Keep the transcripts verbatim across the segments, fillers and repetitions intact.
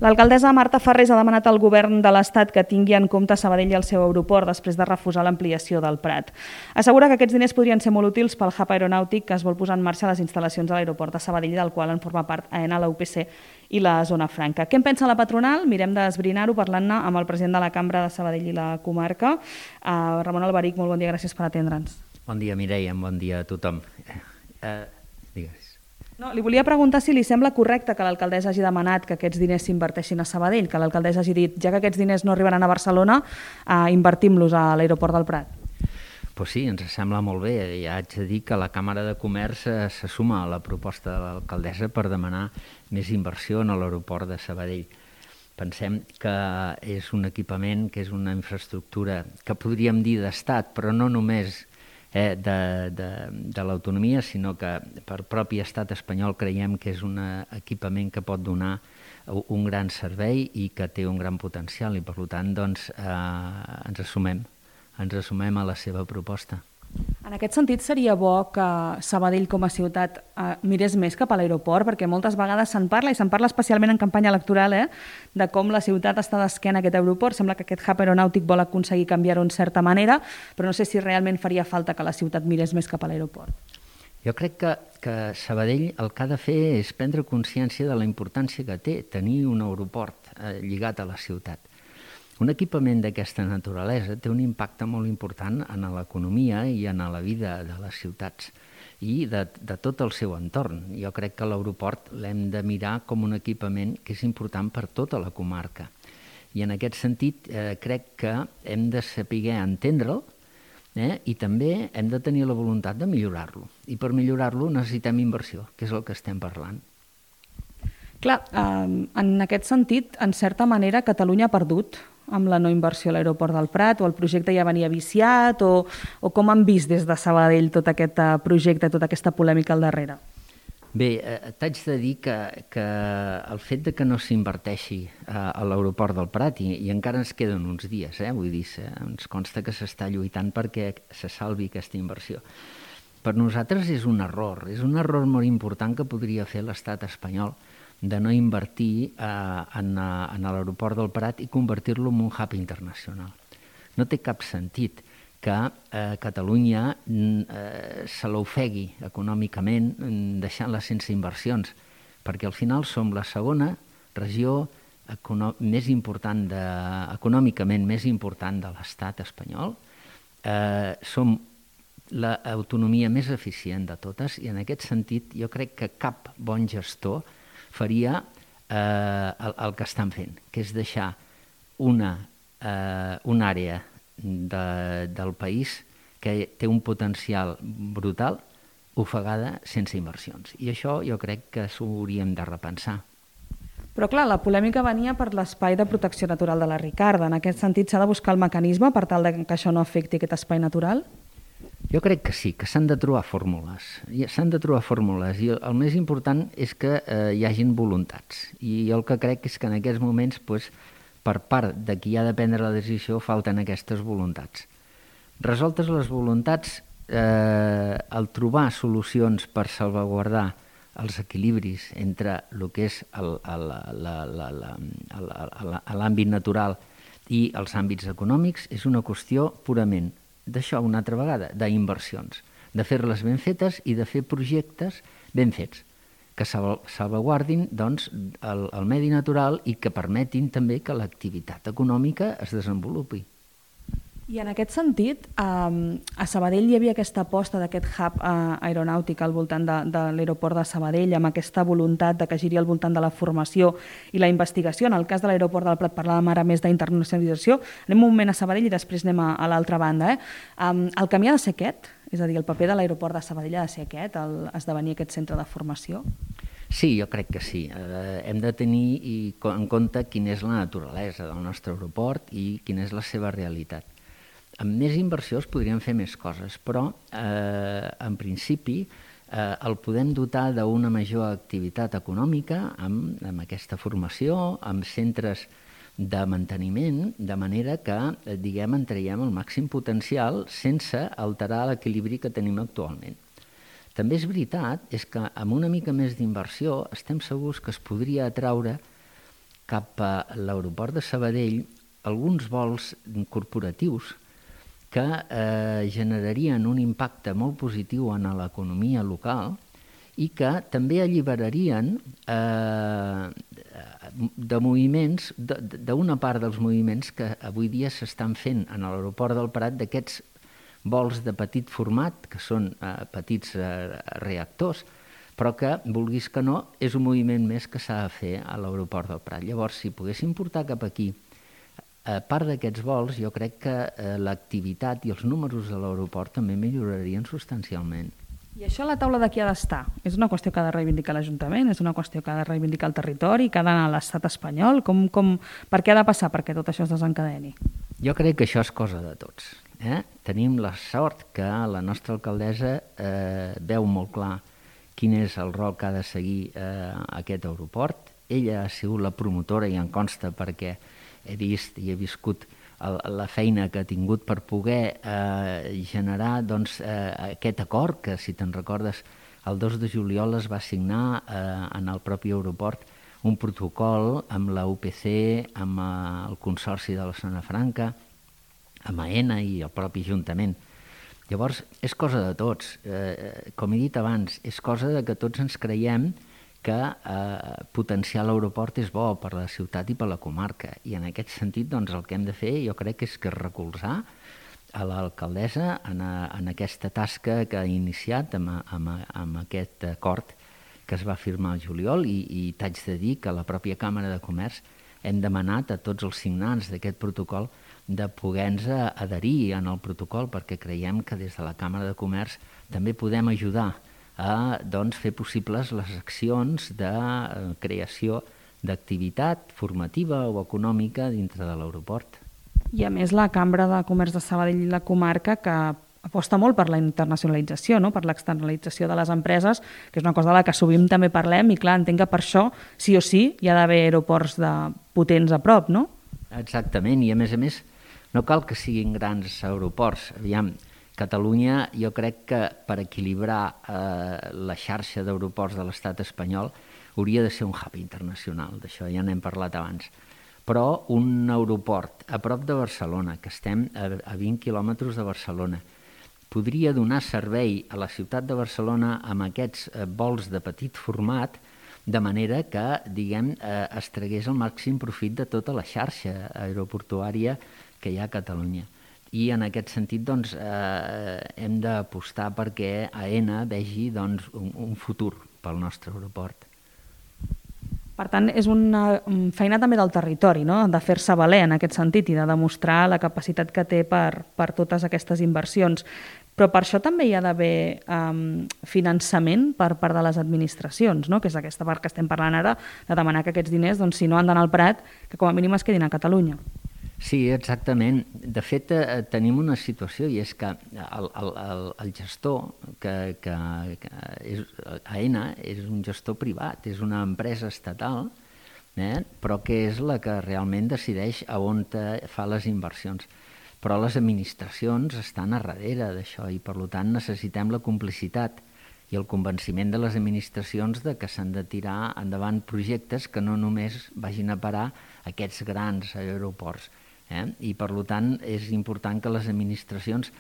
L'alcaldessa Marta Farrés ha demanat al govern de l'Estat que tingui en compte Sabadell i el seu aeroport després de refusar l'ampliació del Prat. Assegura que aquests diners podrien ser molt útils pel hub aeronàutic que es vol posar en marxa a les instal·lacions de l'aeroport de Sabadell, del qual en forma part AENA, la U P C i la Zona Franca. Què en pensa la patronal? Mirem d'esbrinar-ho parlant-ne amb el president de la Cambra de Sabadell i la comarca, uh, Ramon Alberic. Molt bon dia, gràcies per atendre'ns. Bon dia, Mireia, bon dia a tothom. Uh, digues. No, li volia preguntar si li sembla correcte que l'alcaldessa hagi demanat que aquests diners s'inverteixin a Sabadell, que l'alcaldessa hagi dit, ja que aquests diners no arribaran a Barcelona, eh, invertim-los a l'aeroport del Prat. Pues sí, ens sembla molt bé. Ja haig de dir que la Càmera de Comerç se suma a la proposta de l'alcaldessa per demanar més inversió en l'aeroport de Sabadell. Pensem que és un equipament, que és una infraestructura que podríem dir d'estat, però no només Eh, de, de, de l'autonomia, sinó que per propi estat espanyol creiem que és un equipament que pot donar un gran servei i que té un gran potencial i per tant doncs, eh, ens assumem, ens assumem a la seva proposta. En aquest sentit, seria bo que Sabadell com a ciutat eh, mirés més cap a l'aeroport, perquè moltes vegades se'n parla, i se'n parla especialment en campanya electoral, eh, de com la ciutat està d'esquena a aquest aeroport. Sembla que aquest hub aeronàutic vol aconseguir canviar-ho en certa manera, però no sé si realment faria falta que la ciutat mirés més cap a l'aeroport. Jo crec que, que Sabadell el que ha de fer és prendre consciència de la importància que té tenir un aeroport eh, lligat a la ciutat. Un equipament d'aquesta naturalesa té un impacte molt important en l'economia i en la vida de les ciutats i de, de tot el seu entorn. Jo crec que l'aeroport l'hem de mirar com un equipament que és important per tota la comarca. I en aquest sentit eh, crec que hem de saber entendre'l eh, i també hem de tenir la voluntat de millorar-lo. I per millorar-lo necessitem inversió, que és el que estem parlant. Clar, eh, en aquest sentit, en certa manera, Catalunya ha perdut amb la no inversió a l'aeroport del Prat, o el projecte ja venia viciat, o, o com han vist des de Sabadell tot aquest projecte, tota aquesta polèmica al darrere? Bé, eh, t'haig de dir que, que el fet de que no s'inverteixi eh, a l'aeroport del Prat, i, i encara ens queden uns dies, eh, vull dir, ens consta que s'està lluitant perquè se salvi aquesta inversió. Per nosaltres és un error, és un error molt important que podria fer l'estat espanyol, de no invertir eh, en, en l'aeroport del Prat i convertir-lo en un hub internacional. No té cap sentit que eh, Catalunya eh, se l'ofegui econòmicament deixant-la sense inversions, perquè al final som la segona regió més important de, econòmicament més important de l'estat espanyol, eh, som l'autonomia més eficient de totes i en aquest sentit jo crec que cap bon gestor faria eh, el, el que estan fent, que és deixar una, eh, una àrea de, del país que té un potencial brutal ofegada sense inversions. I això jo crec que s'ho hauríem de repensar. Però clar, la polèmica venia per l'espai de protecció natural de la Ricarda. En aquest sentit, s'ha de buscar el mecanisme per tal que això no afecti aquest espai natural? Jo crec que sí, que s'han de trobar fórmules. S'han de trobar fórmules i el més important és que eh, hi hagin voluntats. I jo el que crec és que en aquests moments, doncs, per part de qui ha de prendre la decisió, falten aquestes voluntats. Resoltes les voluntats, eh, el trobar solucions per salvaguardar els equilibris entre el que és l'àmbit natural i els àmbits econòmics és una qüestió purament d'això una altra vegada, d'inversions, de fer-les ben fetes i de fer projectes ben fets, que salvaguardin doncs, el, el medi natural i que permetin també que l'activitat econòmica es desenvolupi. I en aquest sentit, a Sabadell hi havia aquesta aposta d'aquest hub aeronàutic al voltant de, de l'aeroport de Sabadell, amb aquesta voluntat de que giri al voltant de la formació i la investigació. En el cas de l'aeroport del Prat parlàvem ara més d'internacionalització. Anem un moment a Sabadell i després anem a, a l'altra banda. Eh? El camí ha de ser aquest? És a dir, el paper de l'aeroport de Sabadell ha de ser aquest, el, esdevenir aquest centre de formació? Sí, jo crec que sí. Eh, hem de tenir en compte quina és la naturalesa del nostre aeroport i quina és la seva realitat. Amb més inversió es podrien fer més coses, però eh, en principi eh, el podem dotar d'una major activitat econòmica amb, amb aquesta formació, amb centres de manteniment, de manera que eh, diguem, en traiem el màxim potencial sense alterar l'equilibri que tenim actualment. També és veritat és que amb una mica més d'inversió estem segurs que es podria atraure cap a l'aeroport de Sabadell alguns vols corporatius que eh, generarien un impacte molt positiu en l'economia local i que també alliberarien eh, de moviments, d'una part dels moviments que avui dia s'estan fent en l'aeroport del Prat, d'aquests vols de petit format, que són eh, petits eh, reactors, però que, vulguis que no, és un moviment més que s'ha de fer a l'aeroport del Prat. Llavors, si poguéssim portar cap aquí a part d'aquests vols, jo crec que eh, l'activitat i els números de l'aeroport també millorarien substancialment. I això a la taula de qui ha d'estar? És una qüestió que ha de reivindicar l'Ajuntament? És una qüestió que ha de reivindicar el territori? Que ha d'anar a l'estat espanyol? Com, com, per què ha de passar perquè tot això es desencadeni? Jo crec que això és cosa de tots. Eh? Tenim la sort que la nostra alcaldessa eh, veu molt clar quin és el rol que ha de seguir eh, aquest aeroport. Ella ha sigut la promotora i em consta perquè he vist i he viscut el, la feina que ha tingut per poder eh, generar doncs, eh, aquest acord que, si te'n recordes, el dos de juliol es va signar eh, en el propi aeroport un protocol amb la U P C, amb eh, el Consorci de la Zona Franca, amb AENA i el propi Ajuntament. Llavors, és cosa de tots. Eh, com he dit abans, és cosa de que tots ens creiem que eh, potenciar l'aeroport és bo per la ciutat i per la comarca. I en aquest sentit, doncs, el que hem de fer, jo crec que és que recolzar a l'alcaldessa en, a, en aquesta tasca que ha iniciat amb, amb, amb aquest acord que es va firmar al juliol i, i t'haig de dir que a la pròpia Càmera de Comerç hem demanat a tots els signants d'aquest protocol de poder-nos adherir en el protocol perquè creiem que des de la Càmera de Comerç també podem ajudar a doncs, fer possibles les accions de creació d'activitat formativa o econòmica dintre de l'aeroport. I a més la Cambra de Comerç de Sabadell i la comarca que aposta molt per la internacionalització, no? Per l'externalització de les empreses, que és una cosa de la que sovint també parlem i clar, entenc que per això sí o sí hi ha d'haver aeroports de potents a prop, no? Exactament, i a més a més no cal que siguin grans aeroports. Aviam, Catalunya, jo crec que per equilibrar eh, la xarxa d'aeroports de l'estat espanyol hauria de ser un hub internacional, d'això ja n'hem parlat abans. Però un aeroport a prop de Barcelona, que estem a, a vint quilòmetres de Barcelona, podria donar servei a la ciutat de Barcelona amb aquests eh, vols de petit format, de manera que, diguem, eh, es tragués el màxim profit de tota la xarxa aeroportuària que hi ha a Catalunya. I en aquest sentit doncs, eh, hem d'apostar perquè AENA vegi doncs, un, un futur pel nostre aeroport. Per tant, és una feina també del territori, no? De fer-se valer en aquest sentit i de demostrar la capacitat que té per, per totes aquestes inversions. Però per això també hi ha d'haver um, finançament per part de les administracions, no? Que és aquesta part que estem parlant ara, de demanar que aquests diners, doncs, si no han d'anar al Prat, que com a mínim es quedin a Catalunya. Sí, exactament. De fet, eh, tenim una situació i és que el, el, el, el gestor, que, que, que és, AENA és un gestor privat, és una empresa estatal, eh, però que és la que realment decideix a on fa les inversions. Però les administracions estan a darrere d'això i, per tant, necessitem la complicitat i el convenciment de les administracions de que s'han de tirar endavant projectes que no només vagin a parar aquests grans aeroports. Eh? I, per tant, és important que les administracions,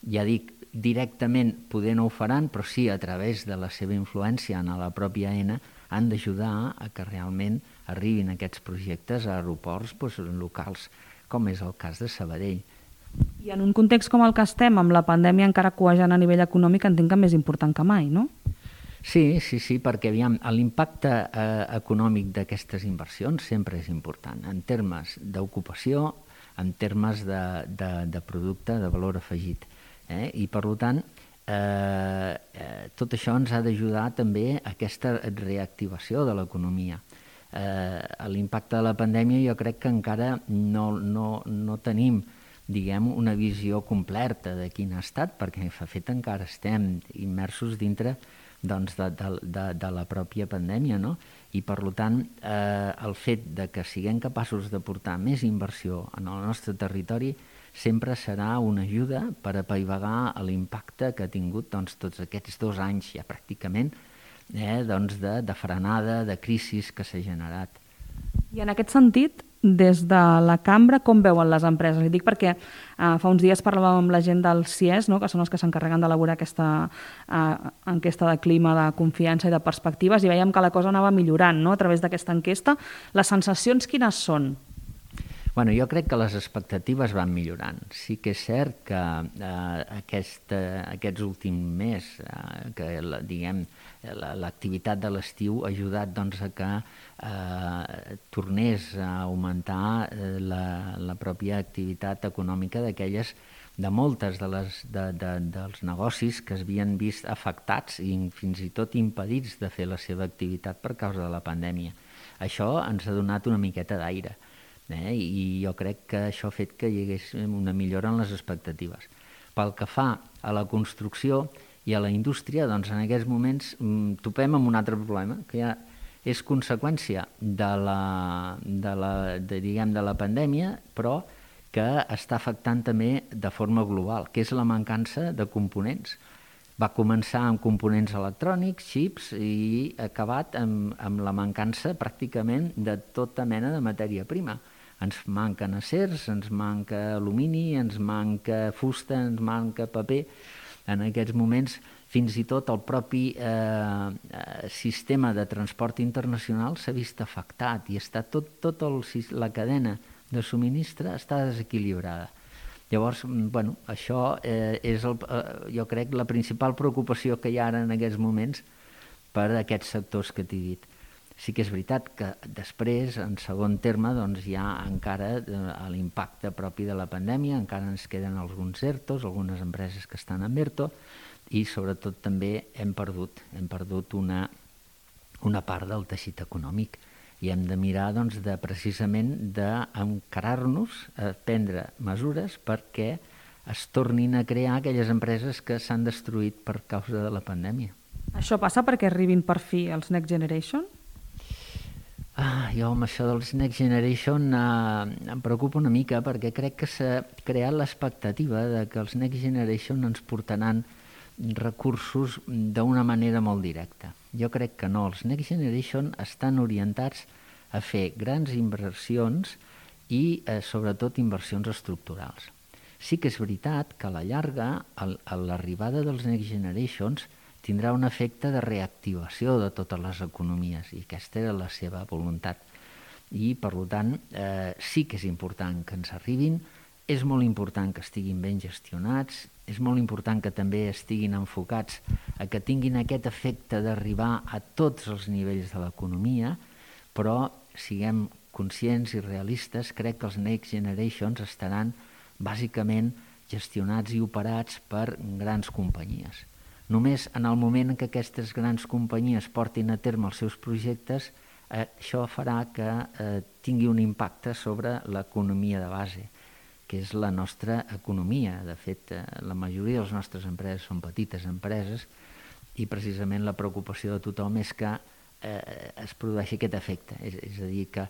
ja dic, directament poder no ho faran, però sí a través de la seva influència en la pròpia AENA, han d'ajudar a que realment arribin aquests projectes a aeroports doncs, locals, com és el cas de Sabadell. I en un context com el que estem, amb la pandèmia encara cuejant a nivell econòmic, entenc que més important que mai, no? Sí, sí, sí, perquè aviam, l'impacte eh, econòmic d'aquestes inversions sempre és important, en termes d'ocupació, en termes de, de, de producte de valor afegit. Eh? I, per tant, eh, eh, tot això ens ha d'ajudar també a aquesta reactivació de l'economia. Eh, l'impacte de la pandèmia jo crec que encara no, no, no tenim diguem, una visió completa de quin ha estat, perquè de fet encara estem immersos dintre doncs, de, de, de, de la pròpia pandèmia, no? I per tant eh, el fet de que siguem capaços de portar més inversió en el nostre territori sempre serà una ajuda per apaivagar l'impacte que ha tingut doncs, tots aquests dos anys ja pràcticament eh, doncs de, de frenada, de crisi que s'ha generat. I I en aquest sentit, des de la cambra, com veuen les empreses? Li dic perquè uh, fa uns dies parlàvem amb la gent del C I E S, no?, que són els que s'encarreguen d'elaborar aquesta uh, enquesta de clima, de confiança i de perspectives, i veiem que la cosa anava millorant, no?, a través d'aquesta enquesta. Les sensacions quines són? Bueno, jo crec que les expectatives van millorant. Sí que és cert que eh, aquest, eh, aquests últims mes, eh, que la, diguem, l'activitat de l'estiu ha ajudat doncs, a que eh, tornés a augmentar eh, la, la pròpia activitat econòmica d'aquelles, de moltes de les, de, de, dels negocis que es havien vist afectats i fins i tot impedits de fer la seva activitat per causa de la pandèmia. Això ens ha donat una miqueta d'aire. Eh? I jo crec que això ha fet que hi hagués una millora en les expectatives. Pel que fa a la construcció i a la indústria, doncs en aquests moments mm, topem amb un altre problema, que ja és conseqüència de la, de la, de, diguem, de la pandèmia, però que està afectant també de forma global, que és la mancança de components. Va començar amb components electrònics, xips, i ha acabat amb, amb la mancança pràcticament de tota mena de matèria prima. Ens manquen acers, ens manca alumini, ens manca fusta, ens manca paper. En aquests moments, fins i tot el propi eh, sistema de transport internacional s'ha vist afectat i està tot, tot el, la cadena de subministre està desequilibrada. Llavors, bueno, això eh, és, el, eh, jo crec, la principal preocupació que hi ha ara en aquests moments per a aquests sectors que t'he dit. Sí que és veritat que després, en segon terme, doncs hi ha encara eh, l'impacte propi de la pandèmia, encara ens queden alguns ERTOs, algunes empreses que estan en ERTO, i sobretot també hem perdut, hem perdut una, una part del teixit econòmic. I hem de mirar doncs, de, precisament d'encarar-nos a prendre mesures perquè es tornin a crear aquelles empreses que s'han destruït per causa de la pandèmia. Això passa perquè arribin per fi els Next Generation? Ah, jo amb això dels Next Generation eh, em preocupa una mica perquè crec que s'ha creat l'expectativa de que els Next Generation ens portaran recursos d'una manera molt directa. Jo crec que no. Els Next Generation estan orientats a fer grans inversions i eh, sobretot inversions estructurals. Sí que és veritat que a la llarga el, l'arribada dels Next Generations tindrà un efecte de reactivació de totes les economies i aquesta era la seva voluntat. I, per tant, eh, sí que és important que ens arribin, és molt important que estiguin ben gestionats, és molt important que també estiguin enfocats a que tinguin aquest efecte d'arribar a tots els nivells de l'economia, però siguem conscients i realistes, crec que els Next Generations estaran bàsicament gestionats i operats per grans companyies. Només en el moment en què aquestes grans companyies portin a terme els seus projectes, eh, això farà que eh, tingui un impacte sobre l'economia de base, que és la nostra economia. De fet, eh, la majoria de les nostres empreses són petites empreses i precisament la preocupació de tothom és que eh, es produeixi aquest efecte, és, és a dir, que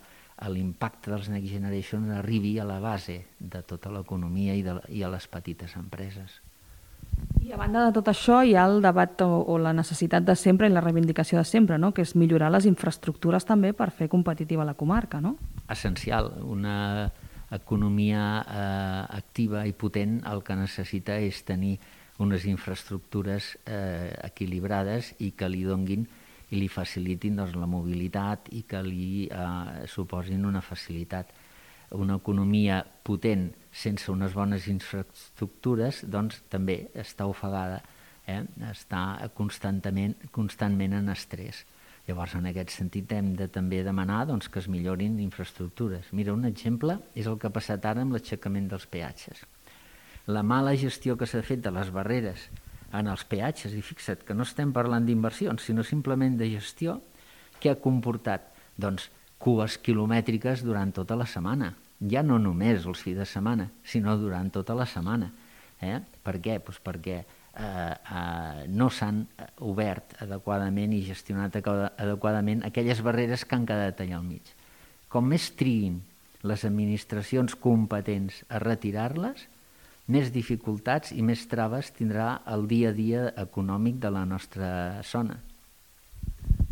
l'impacte dels Next Generation arribi a la base de tota l'economia i, de, i a les petites empreses. I a banda de tot això hi ha el debat o, o la necessitat de sempre i la reivindicació de sempre, no?, que és millorar les infraestructures també per fer competitiva la comarca, no? Essencial. Una economia eh, activa i potent el que necessita és tenir unes infraestructures eh, equilibrades i que li donguin i li facilitin doncs, la mobilitat i que li eh, suposin una facilitat. Una economia potent sense unes bones infraestructures doncs, també està ofegada, eh? està constantment, constantment en estrès. Llavors, en aquest sentit, hem de també demanar doncs, que es millorin infraestructures. Mira, un exemple és el que ha passat ara amb l'aixecament dels peatges. La mala gestió que s'ha fet de les barreres en els peatges, i fixa't que no estem parlant d'inversions, sinó simplement de gestió, que ha comportat doncs, cues quilomètriques durant tota la setmana. Ja no només els fins de setmana, sinó durant tota la setmana. Eh? Per què? Pues perquè eh, eh, no s'han obert adequadament i gestionat adequadament aquelles barreres que han quedat allà al mig. Com més triguin les administracions competents a retirar-les, més dificultats i més traves tindrà el dia a dia econòmic de la nostra zona.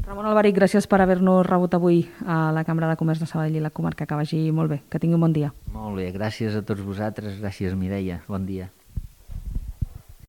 Ramon Alberic, gràcies per haver-nos rebut avui a la Cambra de Comerç de Sabadell i la comarca. Que vagi molt bé, que tingui un bon dia. Molt bé, gràcies a tots vosaltres, gràcies Mireia, bon dia.